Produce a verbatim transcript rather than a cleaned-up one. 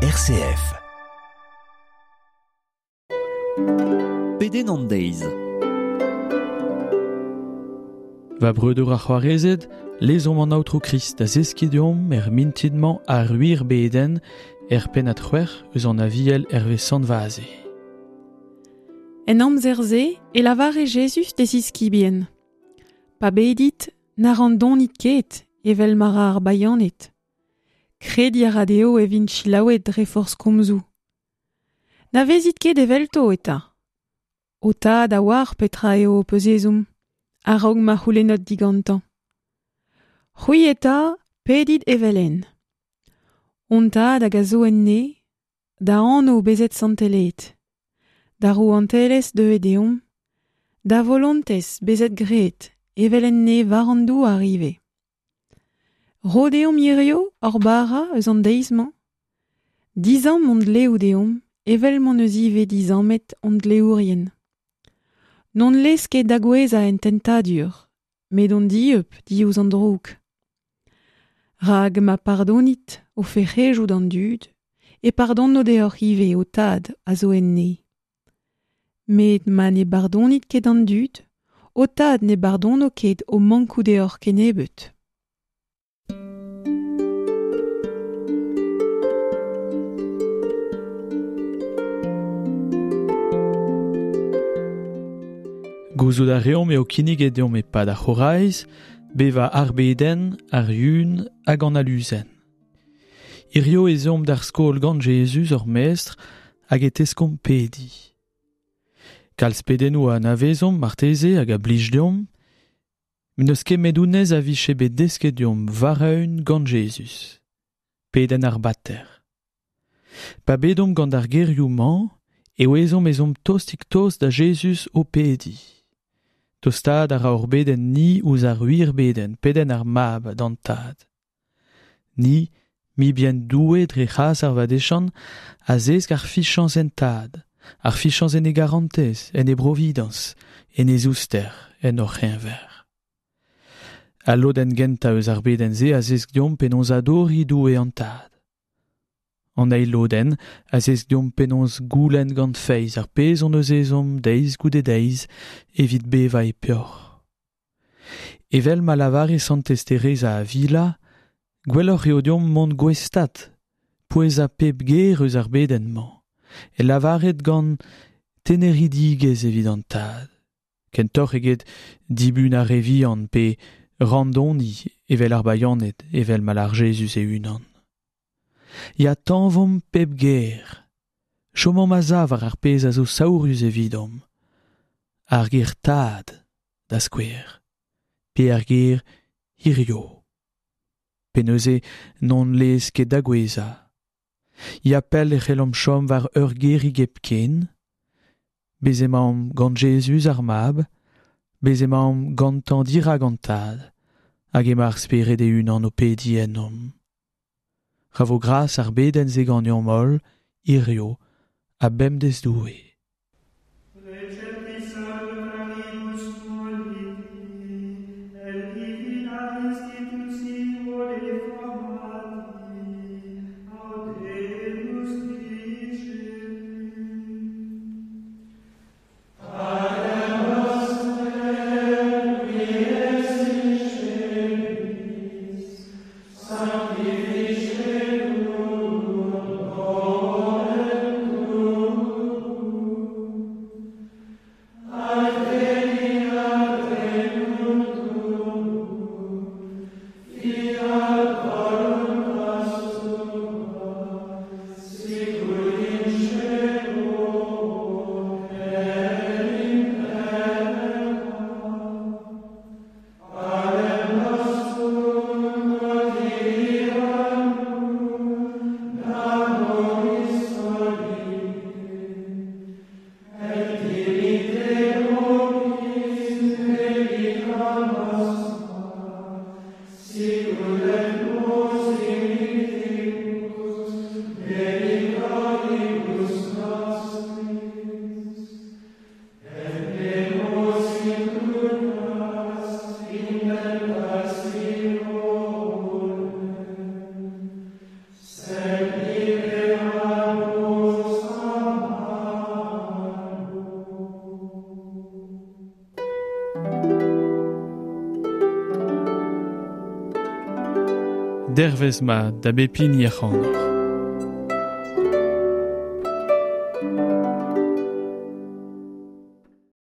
R C F. Pedenn an deiz. Va breudeur ar c'hoarezed, lezomp an Aotrou Krist da zeskiñ deomp er mintin-mañ ar wir bedenn er pennad c'hwec'h eus an Aviel hervez Sant Vaze. En amzer-se e lavare Jezuz d'e ziskibien. Pa bedit, na randonit ket, evel ma ra ar bayaned. Krediñ a ra dezho e vint selaouet dre forzh komzoù. Na vezit ket evelto eta. Ho tad a oar petra eo ho peus ezhomm, a-raok ma c'houlennot digantañ. C'hwi eta, pedit evel-henn. Hon tad hag a zo en neñv, da anv bezet santelaet. Da rouantelezh deuet deomp, da volontez bezet graet, evel en neñv war an douar ivez. Ro deomp hirio hor bara eus an deiz-mañ. Disamm hon dleoù deomp, evel m'hon eus ivez disammet hon dleourien. N'hon lez ket da gouezhañ en tentadur, met hon dieub diouzh an droug. Rak ma pardonit o fec'hedoù d'an dud, e pardono deoc'h ivez ho tad a zo en neñv. Met ma ne bardonit ket an dud, ho tad ne bardono ket ho mankoù deoc'h kennebeut. Gouzout a reomp eo kinniget deomp e-pad ar c'horaiz, bevañ ar bedenn, ar yun hag an aluzenn. Hirio ez eomp d'ar skol gant Jezuz hor mestr hag e teskomp pediñ. Kalz pedennoù a anavezomp marteze hag a blij deomp, met n'eus ket met honnezh a vije bet desket deomp war-eeun gant Jezuz. Pedenn ar Bater. Pa bedomp gant ar gerioù-mañ, e ouezomp ez omp tostik-tost da Jezuz o pediñ. Tostaat a ra hor bedenn ni ouzh ar wir bedenn, pedenn ar Mab d'an Tad. Ni, mibien Doue dre c'hras ar vadeziant, a zesk ar fiziañs en Tad, ar fiziañs en e garantez, en e brovidañs, en e zouster, en hor c'heñver. Al lodenn gentañ eus ar bedenn-se a zesk deomp penaos adoriñ Doue an Tad. An eil lodenn a zesk deomp penaos goulenn gant feiz ar pezh hon eus ezhomm deiz goude deiz evit bevañ e peoc'h. Evel ma lavare Santez Tereza Avila, gwelloc'h eo deomp mont gouestad, pouezañ pep ger eus ar bedenn-mañ, e lavaret gant teneridigezh evit an Tad. Kentoc'h eget dibun ar re vihan pe randoniñ evel ar bayaned, evel ma lar Jezuz e-unan. Ya tañvomp pep ger. Chomomp a-sav war ar pezh a zo saourus evidomp. Ar ger tad, da skouer. Pe ar ger hirio. Pe neuze n'hon lez ket da gouezhañ. Ya pell e c'hellomp chom war ur gerig hepken. Bez' emaomp gant Jezuz ar Mab, bez' emaomp gantañ dirak an Tad, hag emañ ar Spered e-unan o pediñ ennomp. Ra vo gras ar bedenn-se ganeomp holl, hirio, ha bemdez Doue. Recepti salutantibus moliti, et divina institutio reformati, audemus dicere. Dervez mat da bep hini ac'hanoc'h.